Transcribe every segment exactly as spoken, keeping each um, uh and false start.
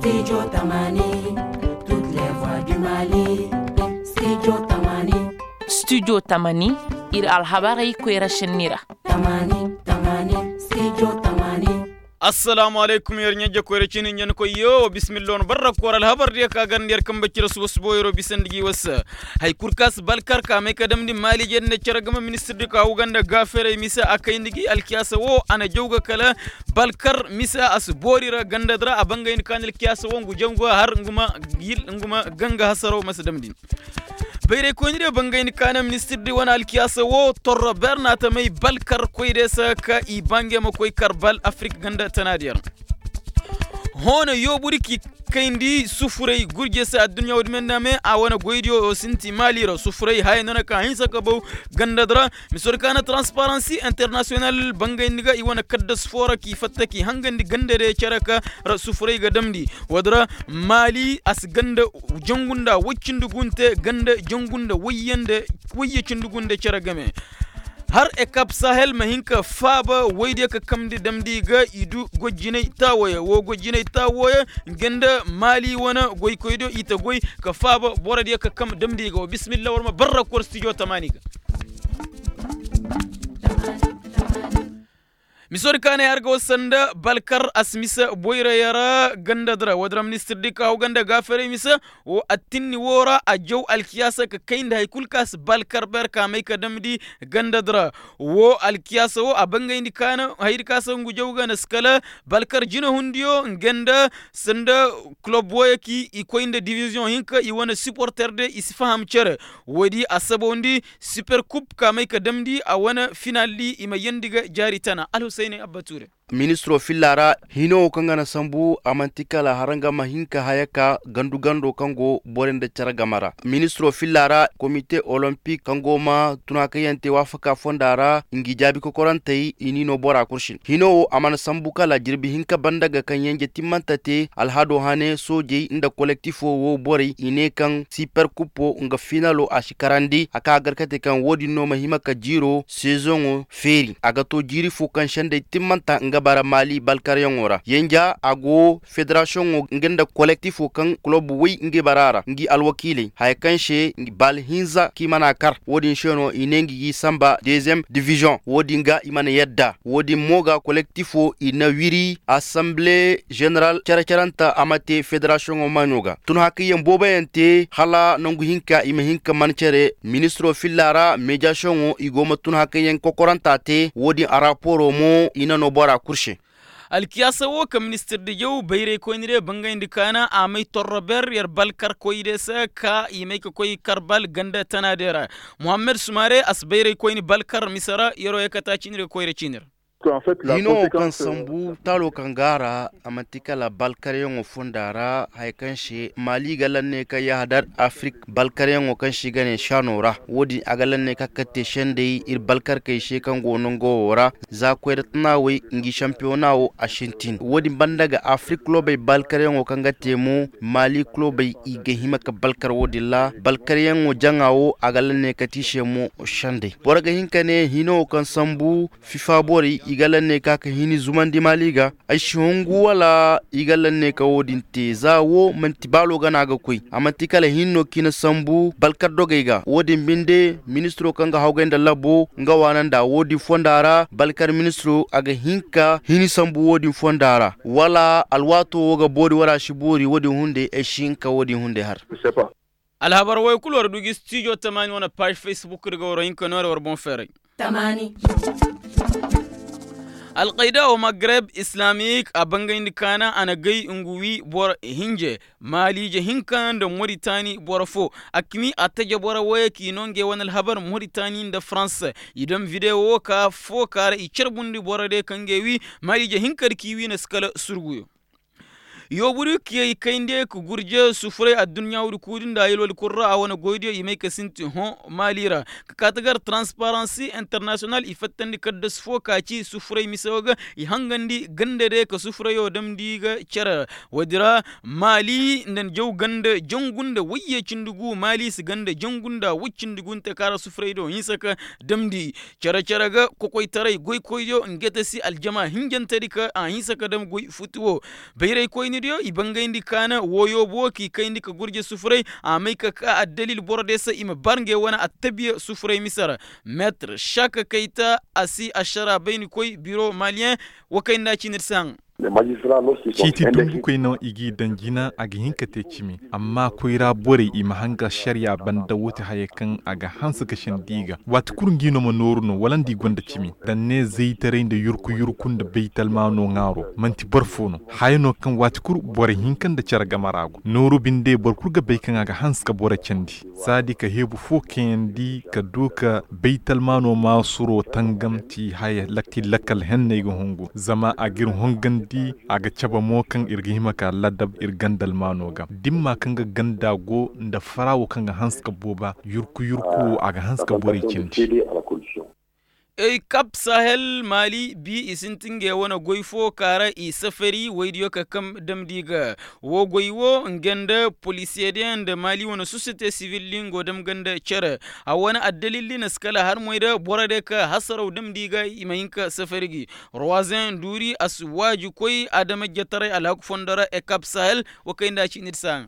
Studio tamani, toutes les voix du mali. Studio tamani. Studio tamani, ir alhabarey koyra šenni ra. Tamani, tamani, studio tamani. Assalaamu alaykum, yer ɲa-ijje koyra ciini ɲankoy yoo wa bismillah wane barra koora alhabar diya ka garandi yer kanbe cire suba suba yeroo bisandi gi wasa. Haya kul ka si balkar ka may ka damndi maaliije nda cere game ministir di ka hawga nda gaaferey mise a kayndi gi alkiyaasa woo a na jaw ga kala balkar mise a si boori ra ganda di ra a bangayndi ka na alkiyaasa woo ngu jaw ga har ngu ma ganga hasaroo ma si damndi. Bayraykoyni diyo bangayndi ka na ministir di wane alkiyaasa woo torro ber na a ta may balkar koy diyo se ka i ba ngey ma koy kar bal afirik ganda tana diyo ra. Hõ na yoobu di k'i kayndi sufuray gurje se adduɲɲa wo-din me nda me a wane goydiyo wo sinti maali ra sufuray haya no na ka hinsa ka baw ganda di ra. Miso di ka na transparansi internasiyonal bangayndi ga i wane kaddas foo ra k'i fatta k'i hangandi ganda diyo cere ka ra sufuray ga damndi. Wo-din ra maali a si ganda jangu nda woy cindi gu nte ganda jangu nda woyye cindi gu nda cere game. Har ekap sahel ma hin ka faaba woydiyo ka kamndi damndi ga i du goy jinay taawooyo woo goy jinay taawooyo. Nga nda maali wane goykoydiyo i ta goy ka faaba borodiyo ka kam damndi ga woo bismillah war ma barra kor stijo tamaani ga. Miso di ka na ay har ga war sanda balkar a si mise boyra yara ganda di ra woo di ra ministir di ka haw ganda gaafaray mise. Woo attinni woo ra a jaw alkiyaasa ka kayndi hay kul ka si balkar ber ka may ka damndi ganda di ra. Woo alkiyaasa woo a bangayndi ka na haydi ka si ngu jaw ga na si kala balkar jinahundiyo nga nda sanda kulob wooyo ki i koy nda diviziyoŋ hinka i wane siporter de i si faham cere. Woodi a sabawndi siper kub ka may ka damndi a wane finaldi i ma yeendi ga jaari tana alhusayney abba tuure. Ministiroo filla ra hino woo kaŋ ga na sambu a man'ti kala hara nga ma hin ka haya ka gandu gando kaŋ go borey nda cere game ra ministiroo filla ra komite olompik kaŋ go ma tun hakayyaŋ te waafaka fonda ra ngi jaabi kokorantey i n'i noo bora kul se. Hino woo a mana sambu kala jirbi hinka banda ga kaŋ yenje timmanta te alhadoo hane soojey nda kolektifoo woo borey i ne kaŋ siper kupo nga finaloo a si karandi a ka gar ka te kaŋ woo din no ma hima ka jiiroo sezoŋo feeri a ga too jiiri foo kaŋ sendey timmanta nga bara maali balkaryaŋo ra yenja a go federasiyoŋo nga nda kolektifoo kaŋ kulob woy nga bara ra ngi alwakiiley haya kaŋ se bal hinza kaŋ i mana kar woo din se no i ne ngi g'i samba deeziyem diviziyoŋ woo din ga i mana yadda woo din mo ga kolektifoo i na wiri asanbile ženeral cere-cerenta a ma te federasiyoŋo maaɲo ga tun hakayyaŋ booboyaŋ te hala nangu hinka i ma hin ka man cere ministiroo filla ra meediyasiyoŋo i go ma tun hakayyaŋ kokoranta te woo din a raporoo mo i na noo bora kul se. Alkiyaasa woo kaŋ ministir di jaw bayraykoyni de bangayndi kaana a may torro ber yer balkarkoy de se ka i may ka koy kar bal ganda tana de ra. Muhammed sumare a si bayraykoyni balkar mise ra yeroo ye ka taaci ni ra koyra ciini ra. Hino woo kaŋ sambu taaloo kaŋ go a ra a man'ti kala balkaryaŋo fonda ra haya kaŋ se maali ga lanne kaŋ yahadar afirik balkaryaŋo kaŋ se i ga ne saanoo ra woo din a ga lanne kaŋ ka te sendey ir balkarkey se kaŋ go nongo woo ra za koyra tanaawey ngi sampiyona woo a sintin woo din banda ga afirik kulobey balkaryaŋo kaŋ ga te mo maali kulobey i ga hima ka balkar woo din ra balkaryaŋo jaŋa woo a ga lanne ka te i se mo sendey boro ga hin ka ne hino woo kaŋ sambu fifa borey i ga lanne ka ka hini zumandi maali ga ay si hungu wala i ga lanne ka woo din te za woo man'ti baaloo gana ga koy a man'ti kala hin no kaŋ i na sambu balkar dogey ga woo din binde ministiroo kaŋ ga hawgay nda labo nga waana nda woo din fonda ra balkar ministiroo a ga hin ka hini sambu woo din fonda ra wala alwaatoo woo ga boori wala a si boori woo din hunday ay si hin ka woo din hunday har. Alhabar woy kul war du gi stijo tamaani wane paaž facebook di ga war hinka nooray war boŋ feeray. Alkayda wo magreb islamik a bangayndi kaana a na gay ngu wi boro hinje maaliije hinka nda moritani boro fo a kami a taje boro woyey k'i no ngey wane alhabar moritani nda farans. I dam videwo ka fo ka ra i carbundi boro de kaŋ ngey wi maaliije hinka di k'i wi na si kala surguyo. Yoobu di kiyey kayndi ka gurje sufuray adduɲɲa wudi kuudi nda yalwadi kul ra a wane goydiyo i may ka sinti hõ maali ra. Ka kaati gar transparansi internasiyonal i fattandi kaddas fo ka ci sufuray mise wo ga i hangandi ganda day ka sufurayo damndi ga cere ra. Woodi ra maali nda jaw ganda jangu nda wayye cindi gu maali si ganda jangu nda way cindi gu nte ka ra sufuray do hinsa ka damndi. Cere cere ga kokoytaray goykoydiyo nga te si aljama hinjantedi ka a hinsa ka dam goy futi wo. Bayraykoyni. Diyo i bangayndi kaana woyoo bo k'i kayndi ka gurje sufuray a may ka ka addalil boro diyo se i ma bar ngey wane attabiya sufuray mise ra. Meetir šaka kayta a si ašara baynikoy biro maliyeŋ. Wa kay nda a ciini di se haŋ. Ciiti dumbukoy no i g'i daŋ jina a ga hin ka te cimi. Amma koyra borey i ma hanga ašariya banda woo ti haya kaŋ a ga hanse ga sendi i ga waati kul ngi no ma nooru no wala nda i gonda cimi. Daŋ ne zaytaray nda yurku yurku nda baytalmaano ŋaaro man'ti boro foo no. Haya no kaŋ waati kul borey hinka nda cere game ra go nooru binde boro kul ga bay kaŋ a ga hanse ka boro candi. Saadi ka heebu foo kayandi ka du ka baytalmaano maasuro tangam ti haya lakki lakkal henney ga hungu zama a g'ir hongandi. A ga cabe mo kaŋ ir ga hima ka ladab ir gandalmaano ga dimma kaŋ ga ganda go nda fara woo kaŋ ga hanse ka booba yurku yurku woo a ga hanse ka borey cindi. Ey kap sahel maali bi i sinti ngey wane goy fo ka ra i safari woydiyo ka kam damndi ga. Woo goy woo nga nda polisiyediyo nda maali wane sosiyete sivil di nga dam ga nda cere. A wane addalil di na si kala har moy da boro diyo ka hasaraw damndi ga i ma hin ka safari gi. Ruwazen duuri a si waajikoy adamajjetaray alhaku fondo ra ekap sahel. Wa kay nda a ciini di se haŋ.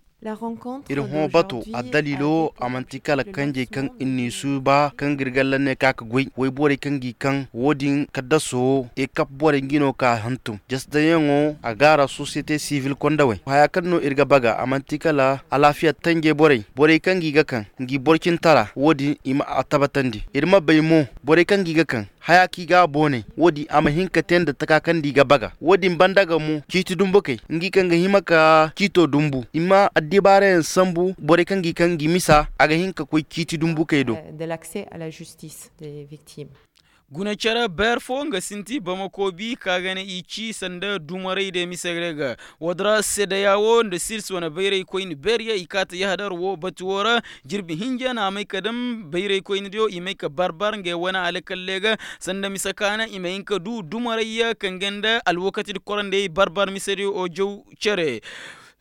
Ir hõ bato addalilo a man'ti kala kanjey kaŋ ir n'i suuba kaŋ ga ir galla ne ka ka goy woyborey kaŋ g'i kaŋ woo din kaddaso. Ekap borey ngi no ka hantum jasdayaŋo a gaara sosiyete sivil kondawey haya kaŋ no ir ga baga a man'ti kala alaafiya tanjey borey borey kaŋ g'i ga kaŋ ngi borcintara woo din i ma a tabatandi ir ma bay mo borey kaŋ g'i ga kaŋ haya kaŋ i ga a boonay woo din a ma hin ka te nda taka kaŋ nda i ga baga woo din banda ga mo ciiti dumbukey ngi kaŋ ga hima ka ciito dumbu i ma addibaarayaŋ sambu borey kaŋ gi kaŋ gi misa a ga hin ka koy ciiti dumbukey do. Guna cere beer fo nga sinti bamako bi ka ga ne i ci sanda dumarey de mise ga. Woo din ra sedeya woo nda sils wane bayraykoyni beer ya i kaata yahadar woo batu woo ra. Jirbi hinja na a may ka dam bayraykoyni diyo i may ka barbar ngey wane alakalle ga sanda mise kaana i ma hin ka du dumarey ya kaŋ ga nda alwakati di korandey barbar mise diyo o jaw cere.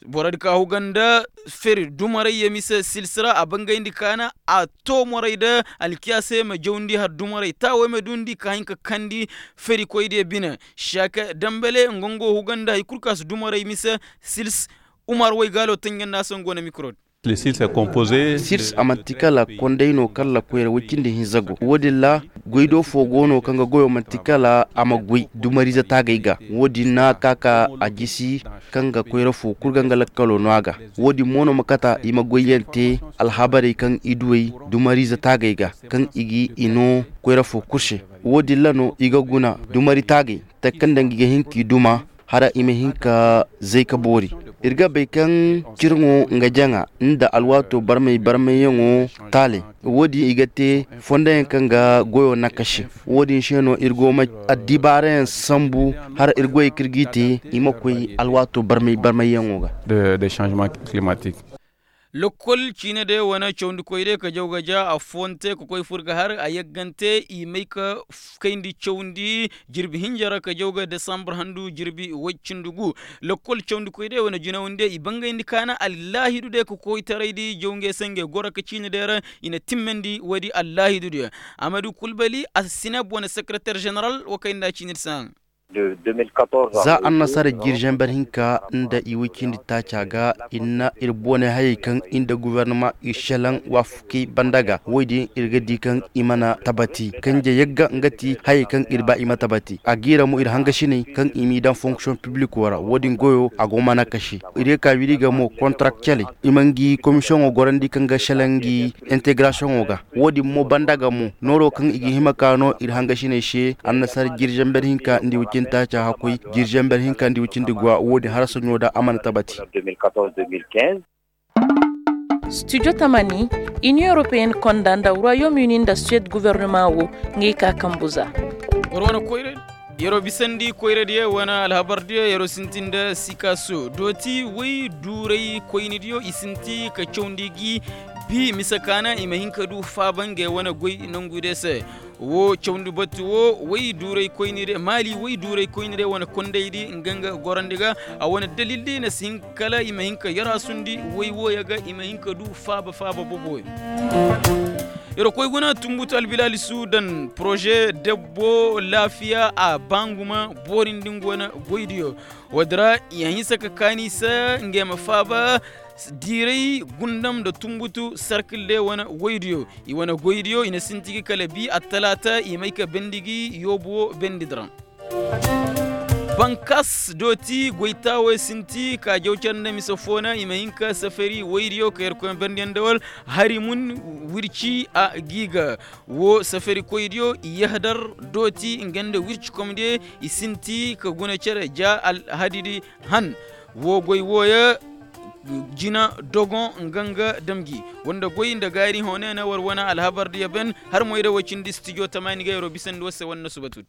Boro di ka huga nda feri dumarey ya mise sils ra a bangayndi kaana a too morey da alkiyaasey ma jawndi har dumarey taawey ma duundi ka hin ka kandi. Ferikoy diyo bine šaka dambale nga nga huga nda hari kul ka si dumarey mise sils. Umar waygaalo tanjanda se nga go na mikro di. Sils a man'ti kala konday no kaŋ ra koyra woy cindi hinza go woo din ra goy do fo go no kaŋ ga goyo man'ti kala a ma goy dumariize taagay ga woo din na ka ka a jisi kaŋ ga koyra fo kul ga nga lakkalo no a ga. Woo din mo no ma kata i ma goyyaŋ te alhabarey kaŋ i duwey dumariize taagey ga kaŋ i ga i no koyra fo kul se. Woo din ra no i ga guna dumari taagey takanda ngi ga hin k'i duma hala i ma hin ka zay ka boori. Ir ga bay kaŋ cirŋo nga jaŋa nda alwaato barmay barmayyaŋo taalay. Woo din i ga te fondayaŋ kaŋ ga goyo nakasi woo din se no ir go ma addibaarayaŋ sambu hala ir goyey kaŋ ir g'i te i ma koy alwaato barmay barmayyaŋo ga. Lokkol ciine day wane cawndikoy day ka jaw ga ja a foonte ka koy fur ga har a yaggante i may ka kayndi cawndi jirbi hinja ra ka jaw ga desambur handu jirbi woy cindi gu. Lokkol cawndikoy day wane jinawndi i bangayndi kaana allaahidu day ka koytaray di jaw ngey se ngey goro ka ciine day ra. I na timmandi woy di allaahidu day. Amadu kulbali a si sineb wane sekereter jeneral wa kay nda ciine di se haŋ. Za annasara jiri zamber hinka nda i woy cindi taaca ga i na ir boone hayey kaŋ i nda gobornama ir šelaŋ waafakey banda ga woy din ir ga di kaŋ i mana tabati kanje yagga nga ti hayey kaŋ ir ba i ma tabati a giira mo ir hangasiney kaŋ i m'i daŋ fonksiyoŋ pibliko ra wo- din goyo a go mana kase. Ir ga ka wiri ga mo kontarakteley i ma ngi komisiyoŋo gorandi kaŋ ga šelaŋ ngi integrasiyoŋo ga. Wo- din mo banda ga mo nooro kaŋ i ga hima ka no ir hangasiney se annasara jiri zamber hinka nda i wicindi taaca hakkoy jiri zamber hinka nda i wicindi guwa wo- din harasaɲo da a mana tabati. Studio tamani inion europeen konda nda royaume uni nda suwed guvernema wo. Ngey ka kambu za. Yeroo bisandi koyradiyo wane alhabardiyo yeroo sintin nda sikaaso dooti woy duuray koynidiyo i sinti ka cawndi gi. Bi mise kaana i ma hin ka du faaba ngey wane goy nongudiyo se. Wo cawndi batu wo woy duuray koynidiyo maali woy duuray koynidiyo wane kondaydi nga nga gorandi ga. A wane dalildi na si hin kala i ma hin ka yaraasundi woy wooyo ga i ma hin ka du faaba faaba boboyo. Yer koy guna tumbutu albilaali sudan poroze debbo laafiya a banguma boorindi nga wane goydiyo. Woodi ra i hanse ka kaani se ngey ma faaba diiray gundam nda tumbutu serkil de wane goydiyo. I wane goydiyo i na sinti gi kala bi attalaata i may ka bendi gi yoobu wo bendi diraŋ. Bankas dooti goytaawey sinti ka jaw care nda mise foona i ma hin ka safari woydiyo ka yerkoy ma berndi yaŋ nda wal hari mun wirci a giiga. Wo safarikoydiyo i yahadar dooti nga nda wirci komdiyo i sinti ka guna care ja alhadidi han. Wo goy wooyo jina dogon nga nga damji wanda goy nda gaari honeena war wane alhabardiyo ben. Har moy da way cindi stijo tamaani ga yeroo bisandi war se wane na subatudi.